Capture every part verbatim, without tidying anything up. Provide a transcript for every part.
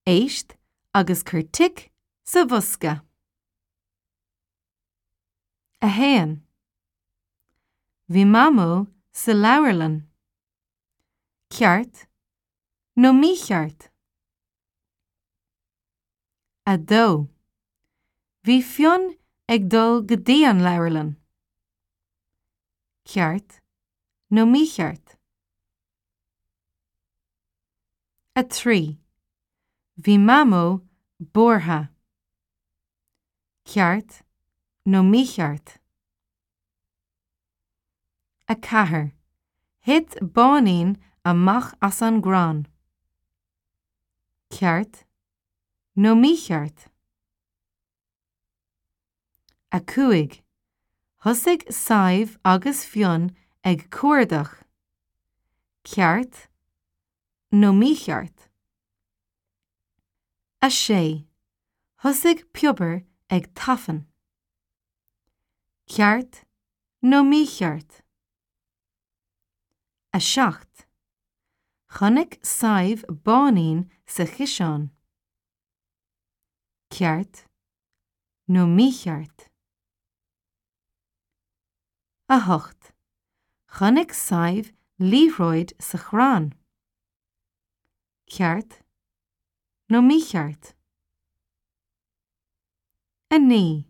Éist agus cuir tic sa bhosca. A haon. Bhí Mamó sa leabharlann. Ceart nó mícheart. A dó. Bhí Fionn ag dul go dtí an leabharlann. Ceart nó mícheart. A trí. Bhí Mamó buartha. Ceart nó mícheart. A ceathair. Thit báinín amach as an gcrann. Ceart nó mícheart. A cúig. Thosaigh Sadhbh agus Fionn ag cuardach. Ceart nó mícheart. A sé. Thosaigh Piobar ag tafann. Ceart nó mícheart. A seacht. Chonaic Sadhbh báinín sa chiseán. Ceart nó mícheart. A hocht. Chonaic Sadhbh liathróid sa chrann. Ceart nó mícheart. A naoi.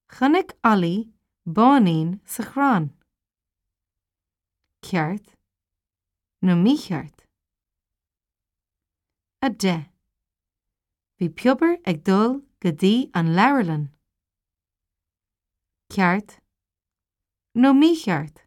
Chonaic Ollie báinín sa chrann. Ceart nó mícheart. A deich. Bhí Piobar ag dul go dtí an leabharlann. Ceart nó mícheart.